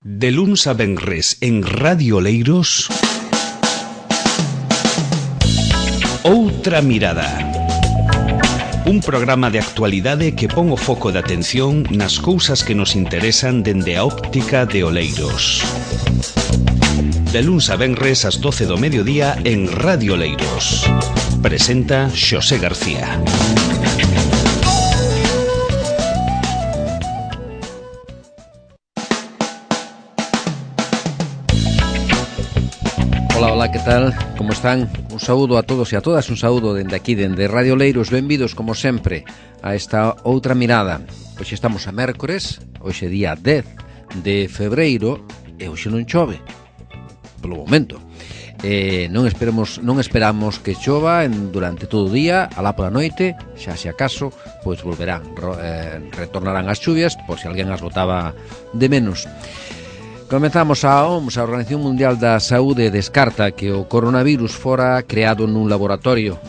De luns a venres en Radio Oleiros, Outra Mirada. Un programa de actualidade que pon o foco de atención nas cousas que nos interesan dende a óptica de Oleiros. De luns a venres ás 12 do mediodía en Radio Oleiros. Presenta Xosé García. Hola, que tal? Como están? Un saúdo a todos e a todas, un saúdo dende aquí, dende Radio Oleiros. Benvidos, como sempre, a esta Outra Mirada. Hoxe estamos a mércores, hoxe día 10 de febreiro, e hoxe non chove, polo momento. Non esperamos que chova durante todo o día, alá pola noite, xa se acaso, pois retornarán as chuvias, por se alguén as botaba de menos. Comezamos a OMS, a Organización Mundial da Saúde, descarta que o coronavirus fora creado nun laboratorio.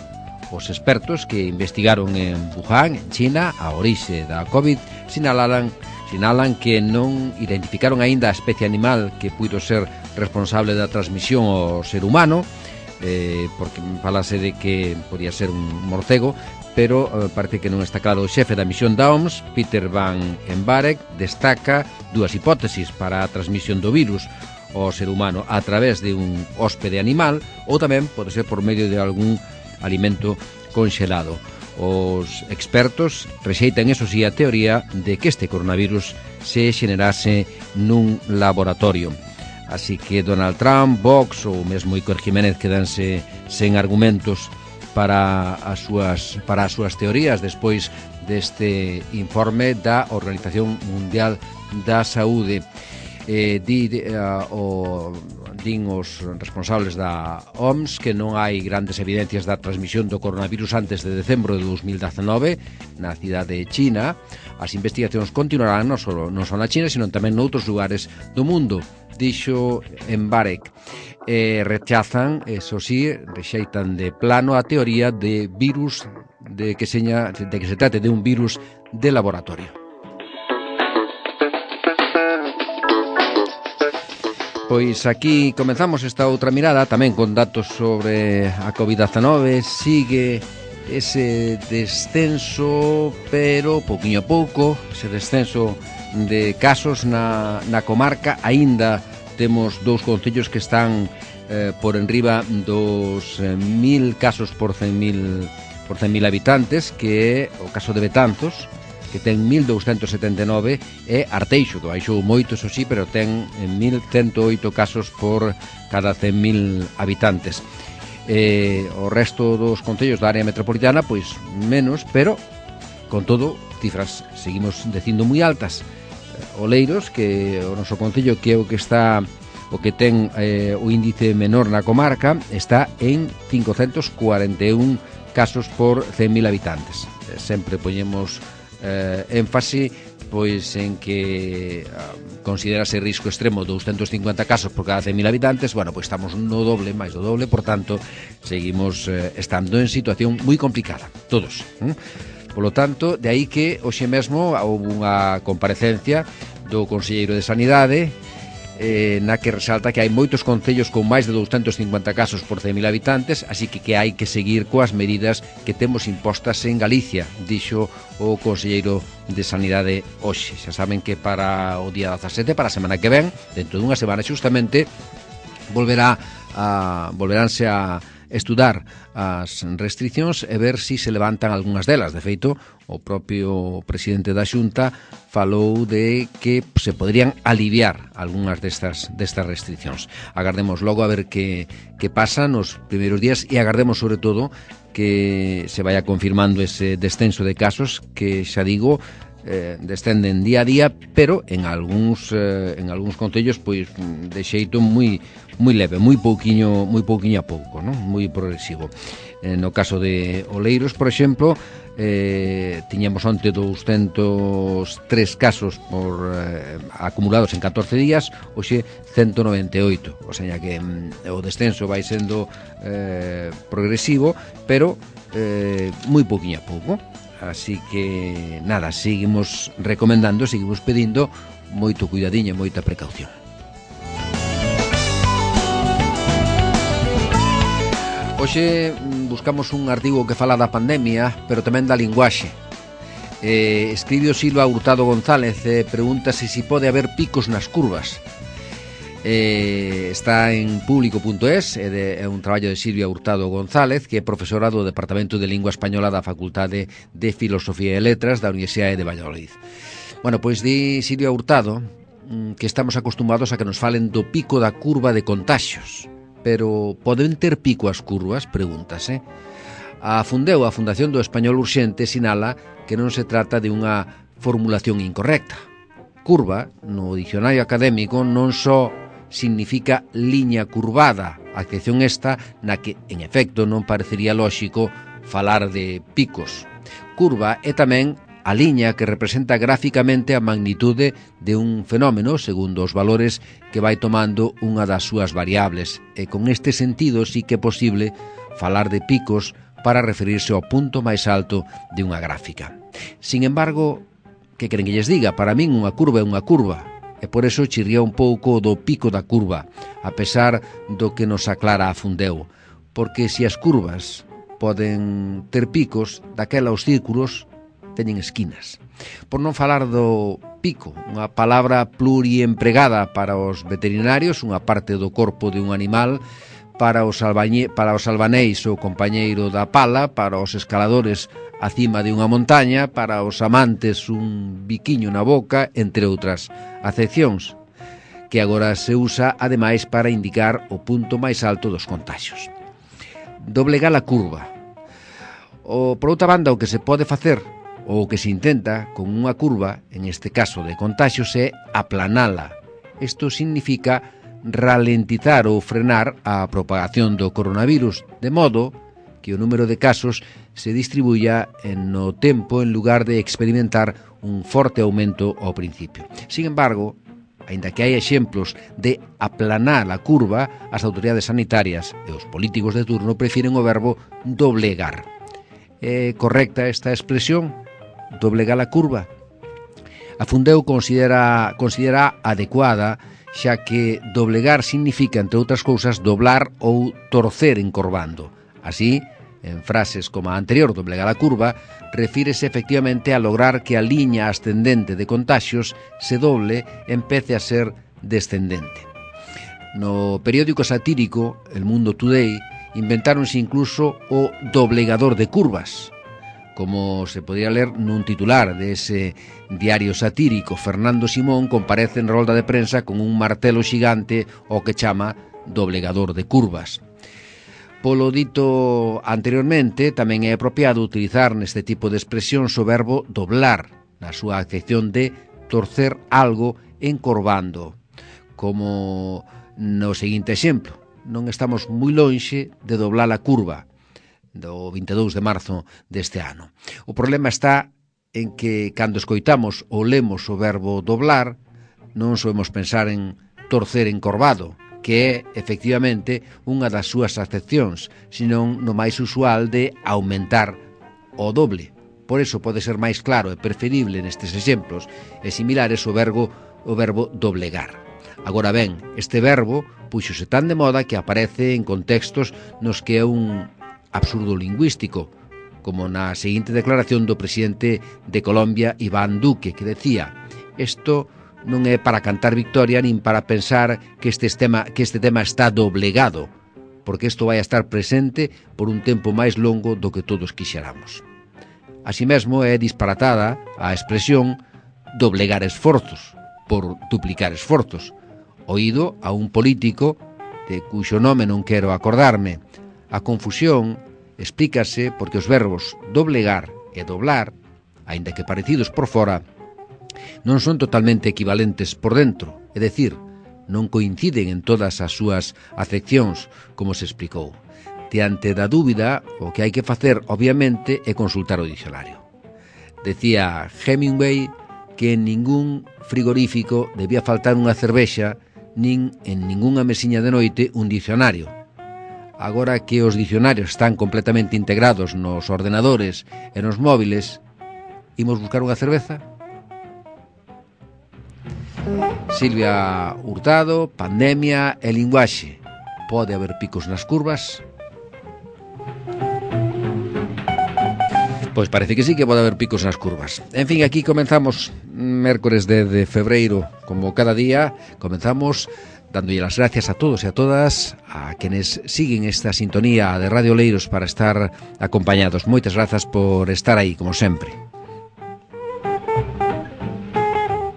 Os expertos que investigaron en Wuhan, en China, a orixe da COVID, sinalan que non identificaron aínda a especie animal que puido ser responsable da transmisión ao ser humano, porque falase de que podía ser un morcego, pero parece que non está claro. O xefe da misión da OMS, Peter Van Embarek, destaca dúas hipótesis para a transmisión do virus ao ser humano: a través de un hóspede animal ou tamén pode ser por medio de algún alimento conxelado. Os expertos rexeitan, eso sí, a teoría de que este coronavirus se xenerase nun laboratorio. Así que Donald Trump, Vox ou mesmo Iker Jiménez quedanse sen argumentos para as súas teorías despois deste informe da Organización Mundial da Saúde. Din os responsables da OMS que non hai grandes evidencias da transmisión do coronavirus antes de decembro de 2019 na cidade de China. As investigacións continuarán non só na China, sino tamén noutros lugares do mundo, dixo Embarek. Rexeitan de plano a teoría de virus de que se trate de un virus de laboratorio. Pois aquí comenzamos esta outra mirada tamén con datos sobre a COVID-19. Sigue ese descenso, pero pouquiño a pouco, ese descenso de casos na comarca. Aínda temos dous concellos que están por enriba dos 1.000 casos por 100.000 habitantes, que é o caso de Betanzos, que ten 1.279, e Arteixo, que baixou moito, eso sí, pero ten 1.108 casos por cada 100.000 habitantes. O resto dos concellos da área metropolitana, pois menos, pero con todo, cifras seguimos dicindo moi altas. Oleiros, que o noso concello, que é o que ten o índice menor na comarca, está en 541 casos por 100.000 habitantes. Sempre poñemos énfase pois en que considerase risco extremo 250 casos por cada 100.000 habitantes. Bueno, pois estamos no doble, máis do doble, por tanto, seguimos estando en situación moi complicada, todos. Polo tanto, de aí que hoxe mesmo houve unha comparecencia do conselleiro de Sanidade na que resalta que hai moitos concellos con máis de 250 casos por 100.000 habitantes, así que hai que seguir coas medidas que temos impostas en Galicia, dixo o conselleiro de Sanidade hoxe. Xa saben que para o día 17, para a semana que ven, dentro dunha semana xustamente, volveránse a estudar as restriccións e ver si se levantan algunhas delas. De feito, o propio presidente da Xunta falou de que se poderían aliviar algunhas destas restriccións. Agardemos logo a ver que pasa nos primeiros días, e agardemos sobre todo que se vaya confirmando ese descenso de casos que, xa digo, descenden día a día, pero en algúns concellos pois de xeito moi leve, moi pouquiño a pouco, non? Moi progresivo. No caso de Oleiros, por exemplo, tiñamos onte 203 casos acumulados en 14 días, hoxe 198, o sea que o descenso vai sendo progresivo, pero moi pouquiño a pouco. Así que, nada, seguimos recomendando, seguimos pedindo moito cuidadiño e moita precaución. Hoxe buscamos un artigo que fala da pandemia, pero tamén da linguaxe. Escribe o Silva Hurtado González, pregúntase se pode haber picos nas curvas. Está en público.es, é un traballo de Silvia Hurtado González, que é profesora do Departamento de Lingua Española da Facultade de Filosofía e Letras da Universidade de Valladolid. Bueno, pois di Silvia Hurtado que estamos acostumados a que nos falen do pico da curva de contaxios, pero poden ter pico as curvas? Pregúntase. A Fundeu, a Fundación do Español Urxente, sinala que non se trata de unha formulación incorrecta. Curva, no dicionario académico, non só significa liña curvada, a excepción esta na que, en efecto, non parecería lóxico falar de picos. Curva é tamén a liña que representa gráficamente a magnitude de un fenómeno segundo os valores que vai tomando unha das súas variables, e con este sentido sí que é posible falar de picos para referirse ao punto máis alto de unha gráfica. Sin embargo, que queren que lles diga? Para min unha curva é unha curva, e por eso chirría un pouco do pico da curva, a pesar do que nos aclara a Fundeu, porque se as curvas poden ter picos, daquela os círculos teñen esquinas. Por non falar do pico, unha palabra pluriempregada para os veterinarios, unha parte do corpo de un animal, para os albaneis o compañeiro da pala, para os escaladores a cima de unha montaña, para os amantes un biquiño na boca, entre outras acepcións, que agora se usa ademais para indicar o punto máis alto dos contaxios. Doblegar a curva. Por outra banda, o que se pode facer, ou o que se intenta con unha curva, en este caso de contaxios, é aplanala. Isto significa ralentizar ou frenar a propagación do coronavirus, de modo que o número de casos se distribuya no tempo en lugar de experimentar un forte aumento ao principio. Sin embargo, aínda que hai exemplos de aplanar a curva, as autoridades sanitarias e os políticos de turno prefiren o verbo doblegar. É correcta esta expresión? Doblegar a curva? A Fundeu considera adecuada, xa que doblegar significa, entre outras cousas, doblar ou torcer encorvando. Así, en frases como a anterior, doblegar a curva, refírese efectivamente a lograr que a liña ascendente de contaxios se doble e empece a ser descendente. No periódico satírico El Mundo Today inventáronse incluso o doblegador de curvas, como se podría ler nun titular de ese diario satírico. Fernando Simón comparece en rolda de prensa con un martelo xigante o que chama doblegador de curvas. Polo dito anteriormente, tamén é apropiado utilizar neste tipo de expresións o verbo doblar, na súa acepción de torcer algo encorvando, como no seguinte exemplo. Non estamos moi lonxe de doblar a curva do 22 de marzo deste ano. O problema está en que, cando escoitamos ou lemos o verbo doblar, non soemos pensar en torcer encorvado, que é, efectivamente, unha das súas acepcións, senón no máis usual de aumentar o doble. Por iso pode ser máis claro e preferible nestes exemplos e similares o verbo doblegar. Agora ben, este verbo puxose tan de moda que aparece en contextos nos que é un absurdo lingüístico, como na seguinte declaración do presidente de Colombia, Iván Duque, que decía: "Isto non é para cantar victoria nin para pensar que este tema está doblegado, porque isto vai a estar presente por un tempo máis longo do que todos quixeramos." Así mesmo é disparatada a expresión doblegar esforzos por duplicar esforzos, oído a un político de cuxo nome non quero acordarme. A confusión explícase porque os verbos doblegar e doblar, aínda que parecidos por fora, non son totalmente equivalentes por dentro, é dicir, non coinciden en todas as súas acepcións, como se explicou. Diante da dúbida, o que hai que facer, obviamente, é consultar o dicionario. Decía Hemingway que en ningún frigorífico debía faltar unha cervexa, nin en ningunha mesiña de noite un dicionario. Agora que os dicionarios están completamente integrados nos ordenadores e nos móviles, imos buscar unha cerveza? Silvia Hurtado, pandemia e linguaxe. Pode haber picos nas curvas? Pois parece que sí que pode haber picos nas curvas. En fin, aquí comenzamos mércores de febreiro. Como cada día, comenzamos dándolle las gracias a todos e a todas, a quienes siguen esta sintonía de Radio Oleiros para estar acompañados. Moitas grazas por estar aí, como sempre.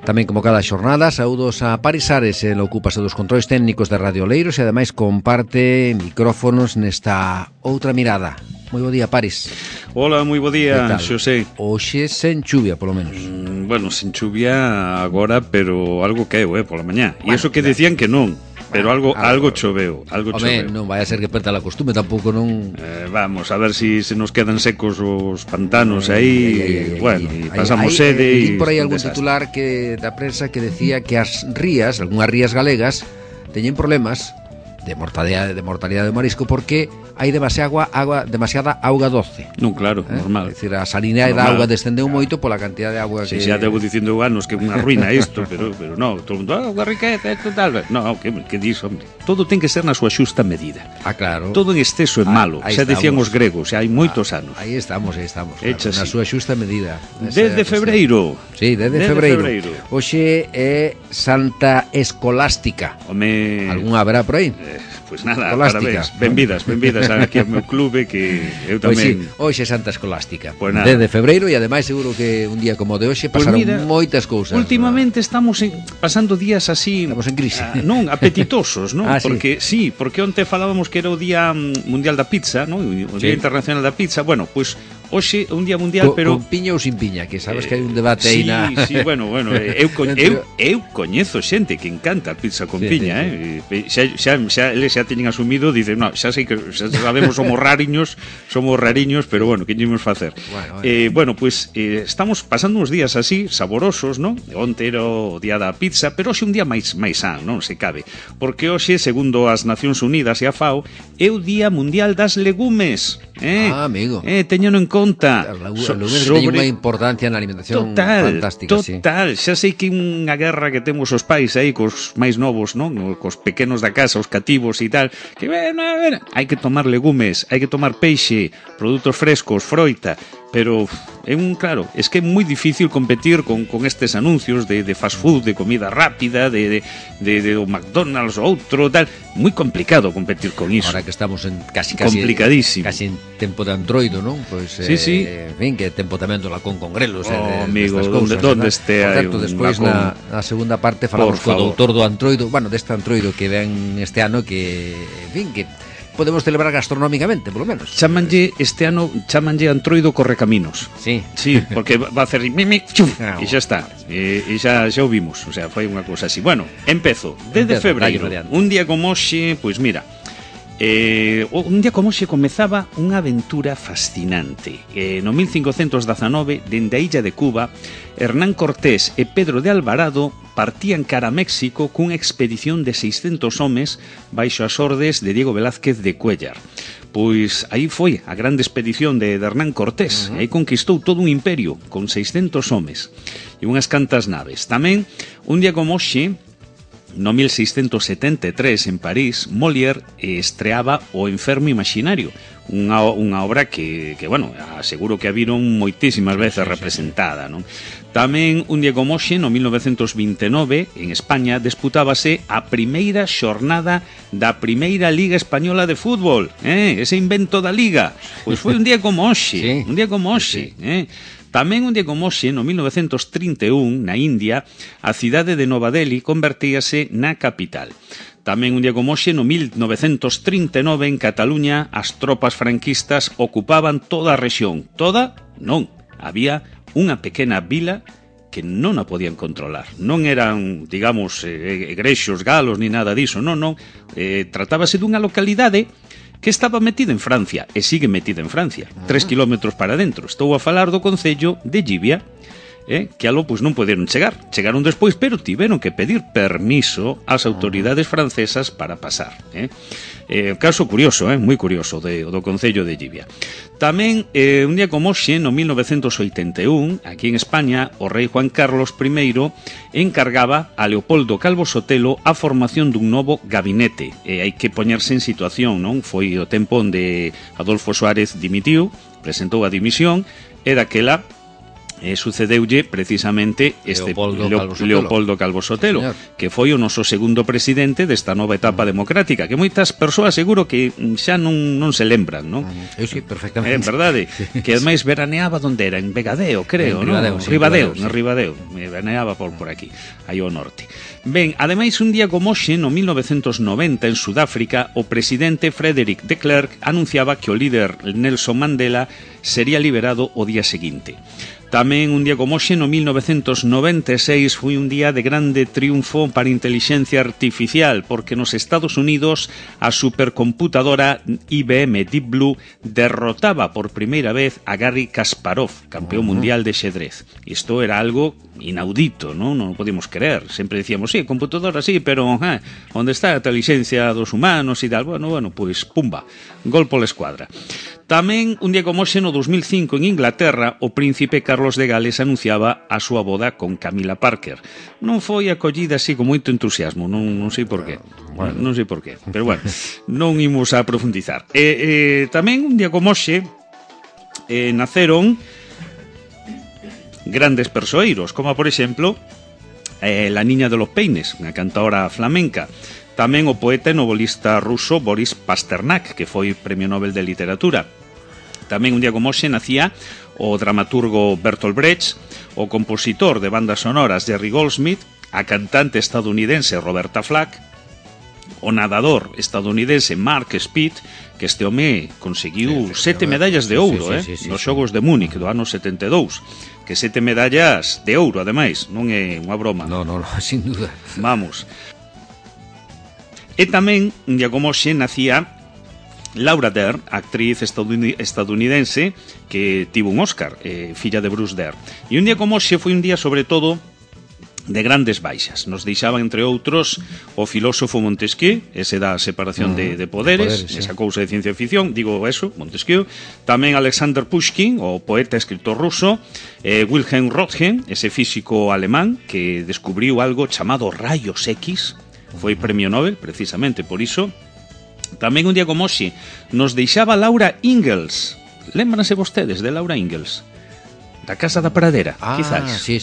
Tamén como cada xornada, saúdos a Paris Ares, el ocúpase dos controis técnicos de Radio Oleiros e ademais comparte micrófonos nesta outra mirada. Moi bo día, Paris. Hola, moi bo día, Xosé. Hoxe sen chuvia, polo menos. Bueno, sen chuvia agora, pero algo caeu, pola mañá. E iso que decían que non, pero algo choveu, Home, non vai a ser que perda a costume, tampouco non... Vamos, a ver se nos quedan secos os pantanos aí, bueno, e pasamos sede e... por aí algún titular da prensa que decía que as rías, algunhas rías galegas, teñen problemas de mortalidade de marisco porque hai demasiada auga doce. Non, claro, normal. É dicir, a salinidade da auga descendeu moito pola cantidad de auga que... xa debo dicindo anos que é unha ruína isto, pero non, todo o mundo, auga riqueza, tal. Non, que dis, hombre? Todo ten que ser na súa xusta medida. Claro. Todo en exceso é malo, xa decían os gregos, xa hai moitos anos. Aí estamos, claro, na súa xusta medida. Desde febreiro. Sí, desde febreiro. Hoxe é Santa Escolástica. Home... Algún haberá por aí? Pois nada, parabéns, benvidas aquí ao meu clube, que eu tamén... Pois sí, hoxe é Santa Escolástica, pues desde febreiro, e ademais seguro que un día como de hoxe pasaron moitas cousas. Últimamente estamos pasando días así... Estamos en crise. Non, apetitosos, non? Porque onte falábamos que era o Día Mundial da Pizza, non? O Día Internacional da Pizza, bueno, pois... Hoxe un día mundial, pero... Con piña ou sin piña, que sabes que hai un debate aí na... Sí, bueno, eu coñezo xente que encanta a pizza con piña, eles xa teñen asumido, dicen, no, xa sei que xa sabemos, somos rariños, pero bueno, que ímos facer? Bueno, pues estamos pasando uns días así, saborosos, non? Onte era o día da pizza, pero hoxe un día máis san, non se cabe, porque hoxe, segundo as Nacións Unidas e a FAO, é o Día Mundial das Legumes. Amigo. Teñeno en conta. Os legumes teñen unha importancia na alimentación fantástica. Total, xa sei que unha guerra que temos os pais aí cos máis novos, non? Cos pequenos da casa, os cativos e tal, que hai que tomar legumes, hai que tomar peixe, produtos frescos, froita, pero claro, es que é moi difícil competir con estes anuncios de fast food, de comida rápida, de McDonald's ou outro, tal, moi complicado competir con iso. Ahora que estamos en casi complicadísimo. Casi en tempo de Androido, non? Pois sí. En fin, que tempo tamén do lacón con grelos, amigo, donde este hai un despois na segunda parte falamos co doutor do Androido, bueno, deste Androido que ven este ano que, en fin, que podemos celebrar gastronómicamente, polo menos. Este ano chamanlle Androido Correcaminos. Sí, porque va a hacer mimi, e xa está. E xa o vimos, o sea, foi unha cousa así. Bueno, empezo. Desde febreiro, un día como hoxe, pois mira, un día como hoxe comezaba unha aventura fascinante. No 1519, dende a illa de Cuba, Hernán Cortés e Pedro de Alvarado partían cara a México cunha expedición de 600 homes baixo as ordes de Diego Velázquez de Cuéllar. Pois aí foi a grande expedición de Hernán Cortés, e aí conquistou todo un imperio con 600 homes e unhas cantas naves. Tamén, un día como hoxe, no 1673, en París, Molière estreaba O enfermo imaginario, unha obra que, bueno, aseguro que a viron moitísimas veces representada, non? Tamén, un día como hoxe, no 1929, en España, disputábase a primeira xornada da primeira Liga Española de Fútbol, ese invento da Liga. Pois foi un día como hoxe, un día como hoxe, Tamén un día como hoxe, no 1931, na India, a cidade de Nova Delhi convertíase na capital. Tamén un día como hoxe, no 1939, en Cataluña, as tropas franquistas ocupaban toda a rexión. Toda? Non. Había unha pequena vila que non a podían controlar. Non eran, digamos, grexos, galos, ni nada diso. Non. Tratábase dunha localidade que estaba metida en Francia, e sigue metida en Francia, 3 kilómetros para dentro. Estou a falar do concello de Llivia. que algo pois non poderon chegaron despois, pero tiveron que pedir permiso ás autoridades francesas para pasar. Caso curioso, moi curioso do Concello de Llivia. Tamén, un día como hoxe, no 1981, aquí en España, o rei Juan Carlos I encargaba a Leopoldo Calvo Sotelo a formación dun novo gabinete. Hai que poñerse en situación, non? Foi o tempo onde Adolfo Suárez dimitiu, presentou a dimisión, e daquela sucedeulle precisamente este Leopoldo Calvo Sotelo, que foi o noso segundo presidente desta nova etapa democrática, que moitas persoas seguro que xa non se lembran, non? Eu sí, perfectamente. É verdade, que ademais veraneaba onde era, en Vegadeo, creo, non? Ribadeo, veraneaba por aquí, aí ao norte. Ben, ademais un día como hoxe, no 1990, en Sudáfrica, o presidente Frederick de Klerk anunciaba que o líder Nelson Mandela sería liberado o día seguinte. Tamén un día como hoxe, no 1996, foi un día de grande triunfo para a intelixencia artificial, porque nos Estados Unidos a supercomputadora IBM Deep Blue derrotaba por primeira vez a Garry Kasparov, campeón mundial de xedrez. Isto era algo inaudito, non o podíamos creer. Sempre decíamos, sí, computadora sí, pero onde está a intelixencia dos humanos e tal? Bueno, pois pumba, gol pola escuadra. Tamén, un día como hoxe, no 2005, en Inglaterra, o príncipe Carlos de Gales anunciaba a súa boda con Camila Parker. Non foi acollida así con moito entusiasmo, non sei por qué. Non sei por qué, pero bueno, non imos a profundizar. Tamén, un día como hoxe, naceron grandes persoeiros, como, por exemplo, La Niña de los Peines, unha cantaora flamenca. Tamén o poeta e novelista ruso Boris Pasternak, que foi Premio Nobel de Literatura. Tamén un día como hoxe nacía o dramaturgo Bertolt Brecht, o compositor de bandas sonoras Jerry Goldsmith, a cantante estadounidense Roberta Flack, o nadador estadounidense Mark Speed, que este home conseguiu 7 medallas de ouro nos Xogos de Múnich do ano 72, que 7 medallas de ouro, ademais, non é unha broma. No, sin duda. Vamos. E tamén, un día como hoxe, nacía Laura Dern, actriz estadounidense que tivo un Oscar, filla de Bruce Dern. E un día como hoxe foi un día, sobre todo, de grandes baixas. Nos deixaban, entre outros, o filósofo Montesquieu, ese da separación de poderes, esa cousa de ciencia ficción, digo eso, Montesquieu. Tamén Alexander Pushkin, o poeta e escritor ruso, Wilhelm Röntgen, ese físico alemán que descubriu algo chamado rayos X, foi Premio Nobel, precisamente por iso. Tamén un día como hoxe nos deixaba Laura Ingalls. Lémbranse vostedes de Laura Ingalls? Da Casa da Pradera, quizás. Sí.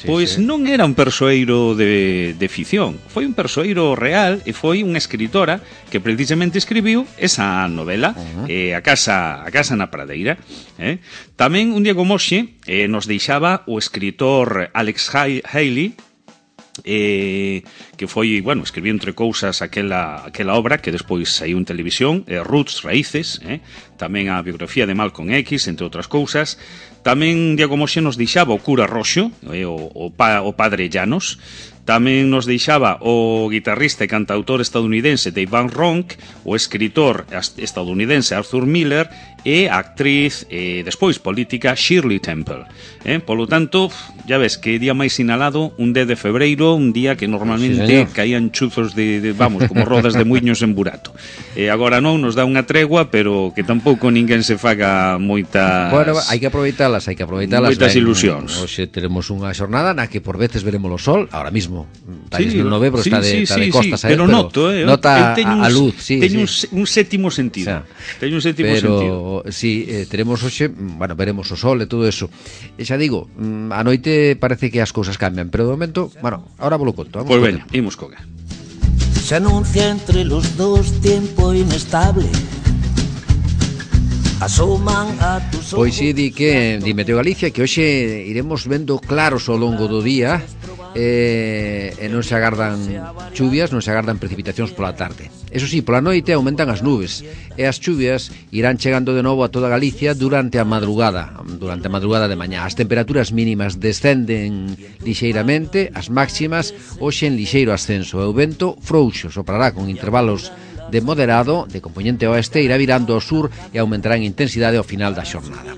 Pois non era un persoeiro de ficción, foi un persoeiro real e foi unha escritora que precisamente escribiu esa novela, A Casa na Pradeira. Tamén un día como hoxe nos deixaba o escritor Alex Haley, que foi, escribiu entre cousas aquela obra que despois saiu en televisión, Roots, Raíces, tamén a biografía de Malcolm X, entre outras cousas. Tamén un día como hoxe nos deixaba o cura Roxo, o padre Llanos. Tamén nos deixaba o guitarrista e cantautor estadounidense Dave Van Ronk, o escritor estadounidense Arthur Miller e a actriz, despois política, Shirley Temple. Polo tanto, ya ves, que día máis sinalado, un 10 de febreiro, un día que normalmente caían chuzos como rodas de muiños en burato. Agora non nos dá unha tregua, pero que tampouco ninguén se faga moitas... Bueno, hai que aproveitalas. Moitas ilusións. Hoxe teremos unha xornada na que por veces veremos o sol, ahora mismo non ve, pero está de costas, pero nota a luz. Teño un sétimo sentido. Teño un sétimo sentido. Si teremos hoxe, veremos o sol e todo eso. E xa digo, a noite parece que as cousas cambian, pero de momento, ahora vos lo conto. Pois veña, imos coga. Se anuncia entre los dos tiempo inestable. Pois si di Meteo Galicia que hoxe iremos vendo claros ao longo do día e non se agardan chuvias, non se agardan precipitacións pola tarde. Eso sí, pola noite aumentan as nubes e as chuvias irán chegando de novo a toda Galicia durante a madrugada de mañá. As temperaturas mínimas descenden lixeiramente, as máximas hoxe en lixeiro ascenso e o vento frouxo soprará con intervalos de moderado, de componente oeste, irá virando ao sur e aumentará en intensidade ao final da xornada.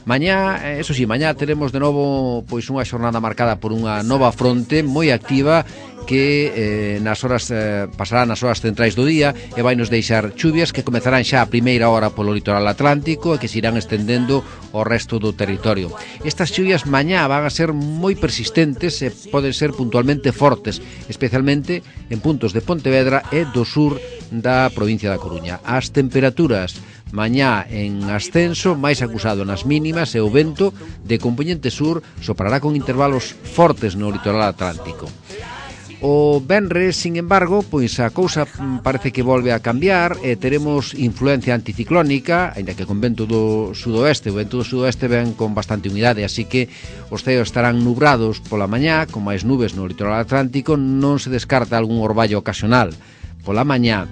Mañá, eso sí, mañá teremos de novo pois unha xornada marcada por unha nova fronte moi activa que pasará nas horas centrais do día e vai nos deixar chuvias que comezarán xa a primeira hora polo litoral atlántico e que se irán estendendo ao resto do territorio. Estas chuvias mañá van a ser moi persistentes e poden ser puntualmente fortes, especialmente en puntos de Pontevedra e do sur da provincia da Coruña. As temperaturas mañá en ascenso, máis acusado nas mínimas, e o vento de componente sur soprará con intervalos fortes no litoral atlántico. O venres, sin embargo, pois a cousa parece que volve a cambiar e teremos influencia anticiclónica, aínda que con vento do sudoeste. O vento do sudoeste ven con bastante humidade, así que os ceos estarán nubrados pola mañá, con máis nubes no litoral atlántico. Non se descarta algún orballo ocasional pola mañá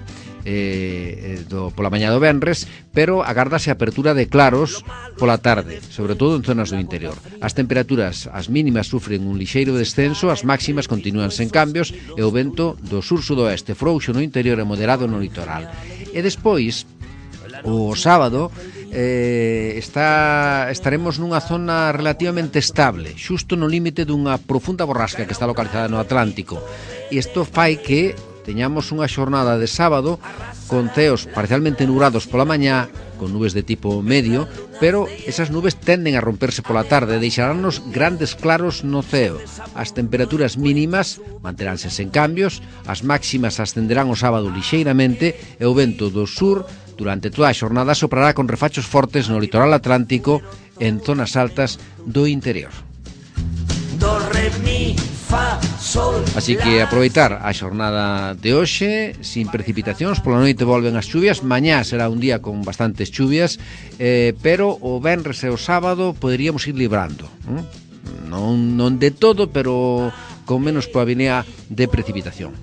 do venres, pero agárdase a apertura de claros pola tarde, sobre todo en zonas do interior. As temperaturas, as mínimas sufren un lixeiro descenso, as máximas continúan sen cambios e o vento do sur-sudoeste frouxo no interior e moderado no litoral. E despois, o sábado, estaremos nunha zona relativamente estable, xusto no límite dunha profunda borrasca que está localizada no Atlántico. E isto fai que teñamos unha xornada de sábado con ceos parcialmente nubrados pola mañá, con nubes de tipo medio, pero esas nubes tenden a romperse pola tarde e deixaránnos grandes claros no ceo. As temperaturas mínimas manteránse sen cambios, as máximas ascenderán o sábado lixeiramente e o vento do sur durante toda a xornada soprará con refachos fortes no litoral atlántico en zonas altas do interior. Do, re, mi, fa, sol, así que aproveitar a xornada de hoxe sin precipitacións. Pola noite volven as chuvias. Mañá será un día con bastantes chuvias, pero o venres e o sábado poderíamos ir librando, non de todo, pero con menos probabilidade de precipitación.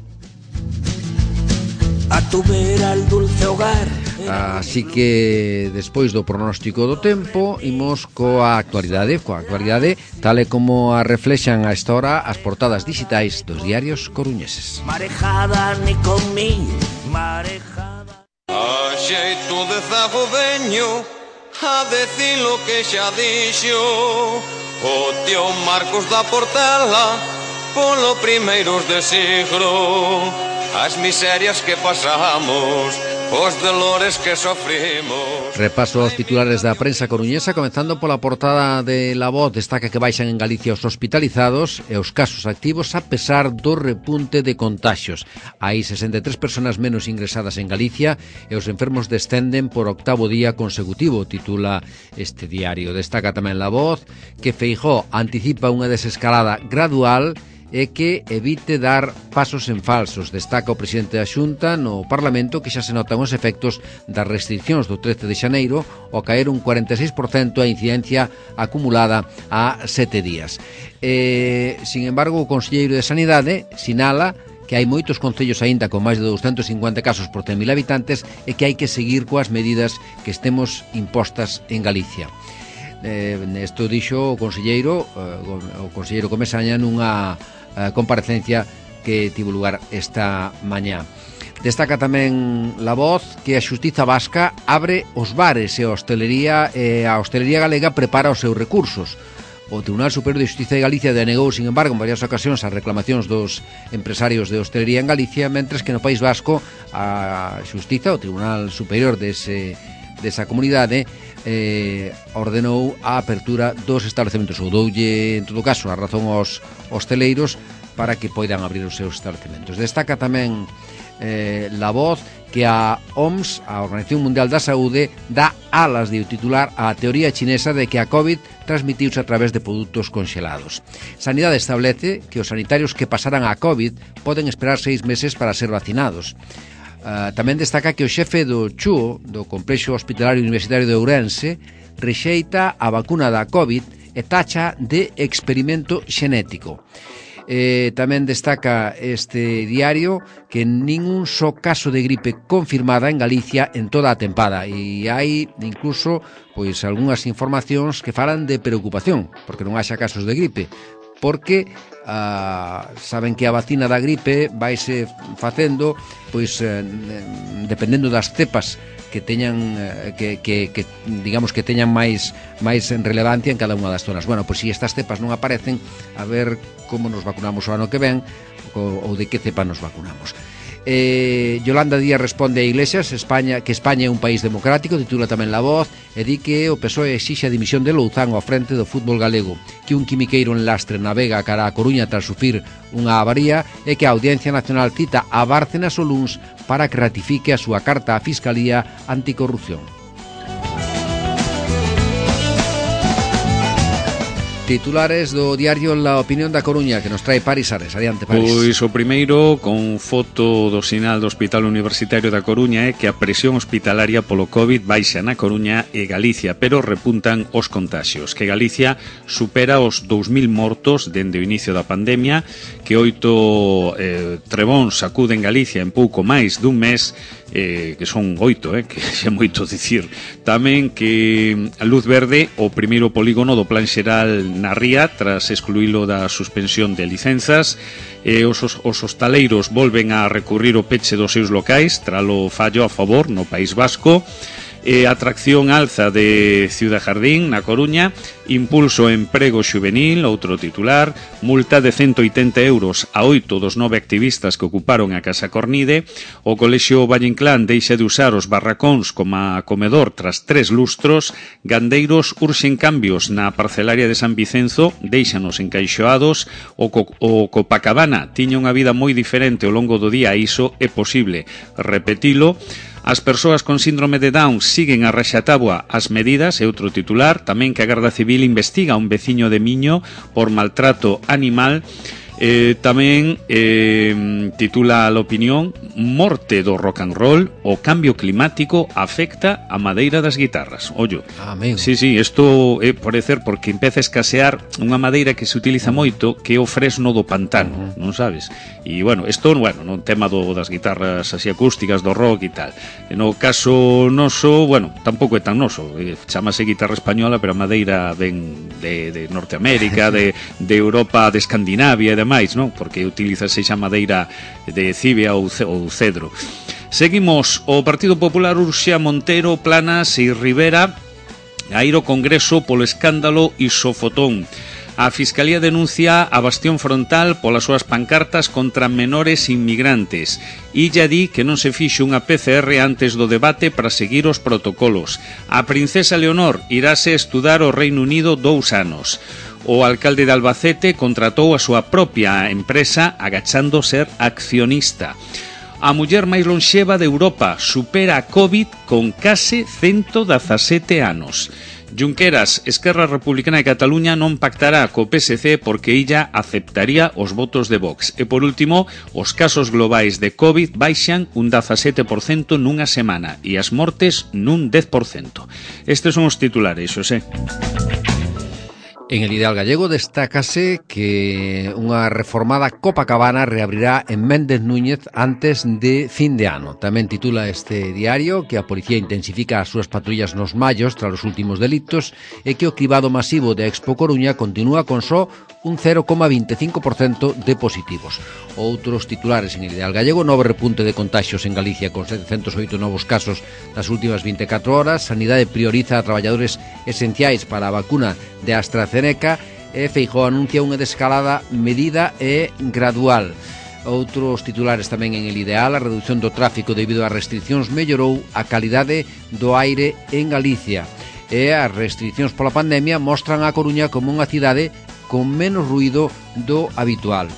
A tu vera el dulce hogar. Así que despois do pronóstico do tempo imos coa actualidade tal e como a reflexan a esta hora as portadas digitais dos diarios coruñeses. Marejada ni con mi marejada. A xeito de zago veño a decir lo que xa dixo o tío Marcos da Portela polo primeiros de siglo. As miserias que pasamos, os dolores que sofrimos. Repaso aos titulares da prensa coruñesa, comenzando pola portada de La Voz. Destaca que baixan en Galicia os hospitalizados e os casos activos a pesar do repunte de contaxios. Hai 63 personas menos ingresadas en Galicia e os enfermos descenden por octavo día consecutivo, titula este diario. Destaca tamén La Voz que Feijóo anticipa unha desescalada gradual e que evite dar pasos en falsos. Destaca o presidente da Xunta no Parlamento que xa se notan os efectos das restriccións do 13 de xaneiro ao caer un 46% a incidencia acumulada a 7 días. Sin embargo, o conselleiro de Sanidade sinala que hai moitos concellos aínda con máis de 250 casos por 100.000 habitantes e que hai que seguir coas medidas que estemos impostas en Galicia. Nesto dixo o conselleiro Comesaña nunha comparecencia que tivo lugar esta mañá. Destaca tamén La Voz que a Xustiza Vasca abre os bares e a hostelería galega prepara os seus recursos. O Tribunal Superior de Xustiza de Galicia denegou, sin embargo, en varias ocasións as reclamacións dos empresarios de hostelería en Galicia, mentres que no País Vasco a Xustiza, o Tribunal Superior desa comunidade, ordenou a apertura dos establecementos, ou doulle, en todo caso, a razón aos hosteleiros para que poidan abrir os seus establecementos. Destaca tamén La Voz que a OMS, a Organización Mundial da Saúde, dá alas de titular á teoría chinesa de que a COVID transmitiuse a través de produtos conxelados. Sanidade establece que os sanitarios que pasaran a COVID poden esperar 6 meses para ser vacinados. Tamén destaca que o xefe do CHUO, do Complexo Hospitalario Universitario de Ourense, rexeita a vacuna da COVID e tacha de experimento xenético. Tamén destaca este diario que ningún só caso de gripe confirmada en Galicia en toda a tempada, e hai incluso pois algunhas informacións que falan de preocupación porque non haxa casos de gripe, porque saben que a vacina da gripe vaise facendo pois dependendo das cepas que teñan que digamos que teñan máis relevancia en cada unha das zonas. Bueno, pois se estas cepas non aparecen, a ver como nos vacunamos o ano que ven ou de que cepa nos vacunamos. Yolanda Díaz responde a Iglesias que España é un país democrático, titula tamén La Voz, e di que o PSOE exixe a dimisión de Louzán ao frente do fútbol galego, que un quimiqueiro en Lastre navega cara a Coruña tras sufrir unha avaría e que a Audiencia Nacional cita a Bárcenas o luns para que ratifique a súa carta á Fiscalía Anticorrupción. Titulares do diario La Opinión da Coruña que nos trae Paris Ares. Adiante, Paris. Pois o primeiro, con foto do sinal do Hospital Universitario da Coruña, é que a presión hospitalaria polo COVID baixa na Coruña e Galicia, pero repuntan os contaxios, que Galicia supera os 2.000 mortos dende o inicio da pandemia, que 8 trebóns sacuden Galicia en pouco máis dun mes, que son 8, que é moito dicir. Tamén que a luz verde o primeiro polígono do Plan Xeral na Ría tras excluílo da suspensión de licenzas. Os hostaleiros volven a recurrir o peche dos seus locais tralo fallo a favor no País Vasco. Atracción alza de Ciudad Jardín na Coruña, impulso emprego xuvenil, outro titular, multa de 180 euros a 8 dos 9 activistas que ocuparon a Casa Cornide, o Colexio Valle Inclán deixa de usar os barracóns como comedor tras 3 lustros, gandeiros urxen cambios na parcelaria de San Vicenzo, deixanos encaixoados, o Copacabana tiña unha vida moi diferente ao longo do día, iso é posible repetilo. As persoas con síndrome de Down siguen a raxatáboa as medidas, é outro titular. Tamén que a Garda Civil investiga a un veciño de Miño por maltrato animal. Tamén titula a Opinión: morte do rock and roll, o cambio climático afecta a madeira das guitarras. Ollo, amigo. Sí, isto é parecer porque empeza a escasear unha madeira que se utiliza moito, que é o fresno do pantano, non sabes? E, bueno, isto, no tema das guitarras así acústicas, do rock e tal. No caso noso, tampouco é tan noso. Chámase guitarra española, pero a madeira ven de Norteamérica, de Europa, de Escandinavia e demais, non? Porque utilizase xa madeira de cibia ou cedro. Seguimos. O Partido Popular urxe a Montero, Planas e Rivera a ir ao Congreso polo escándalo Isofotón. A Fiscalía denuncia a Bastión Frontal polas súas pancartas contra menores inmigrantes. Illa di que non se fixo unha PCR antes do debate para seguir os protocolos. A princesa Leonor iráse estudar ao Reino Unido 2 anos. O alcalde de Albacete contratou a súa propia empresa agachando ser accionista. A muller máis lonxeva de Europa supera a COVID con case 117 anos. Junqueras, Esquerra Republicana de Cataluña non pactará co PSC porque illa aceptaría os votos de Vox. E por último, os casos globais de COVID baixan un 17% nunha semana e as mortes nun 10%. Estes son os titulares, Xosé. En El Ideal Gallego destácase que unha reformada Copacabana reabrirá en Méndez Núñez antes de fin de ano. Tamén titula este diario que a policía intensifica as súas patrullas nos mallos tras os últimos delitos e que o cribado masivo de Expo Coruña continúa con só un 0,25% de positivos. Outros titulares en El Ideal Gallego: novo repunte de contaxios en Galicia con 708 novos casos nas últimas 24 horas. Sanidade prioriza a traballadores esenciais para a vacuna de AstraZeneca e Feijóo anuncia unha desescalada medida e gradual. Outros titulares tamén en El Ideal: a reducción do tráfico debido ás restriccións mellorou a calidade do aire en Galicia e as restriccións pola pandemia mostran a Coruña como unha cidade con menos ruído do habitual.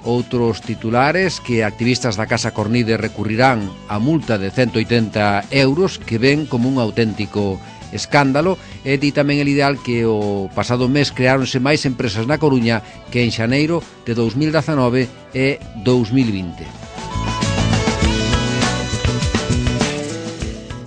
Outros titulares: que activistas da Casa Cornide recurrirán a multa de 180 euros que ven como un auténtico escándalo. E di tamén El Ideal que o pasado mes creáronse máis empresas na Coruña que en xaneiro de 2019 e 2020.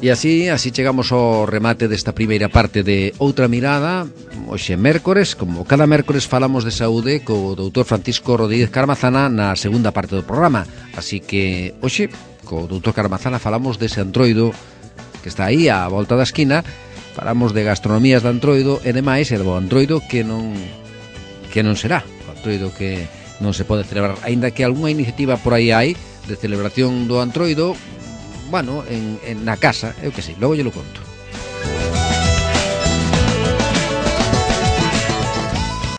E así chegamos ao remate desta primeira parte de Outra Mirada. Hoxe mércores, como cada mércores falamos de saúde co doutor Francisco Rodríguez Carmazana na segunda parte do programa. Así que hoxe co doutor Carmazana falamos dese Antroido que está aí á volta da esquina. Falamos de gastronomías de Antroido e demais, e do Antroido que non será. O Antroido que non se pode celebrar, aínda que algunha iniciativa por aí hai de celebración do Antroido, bueno, na casa, eu que sei, logo lle lo conto.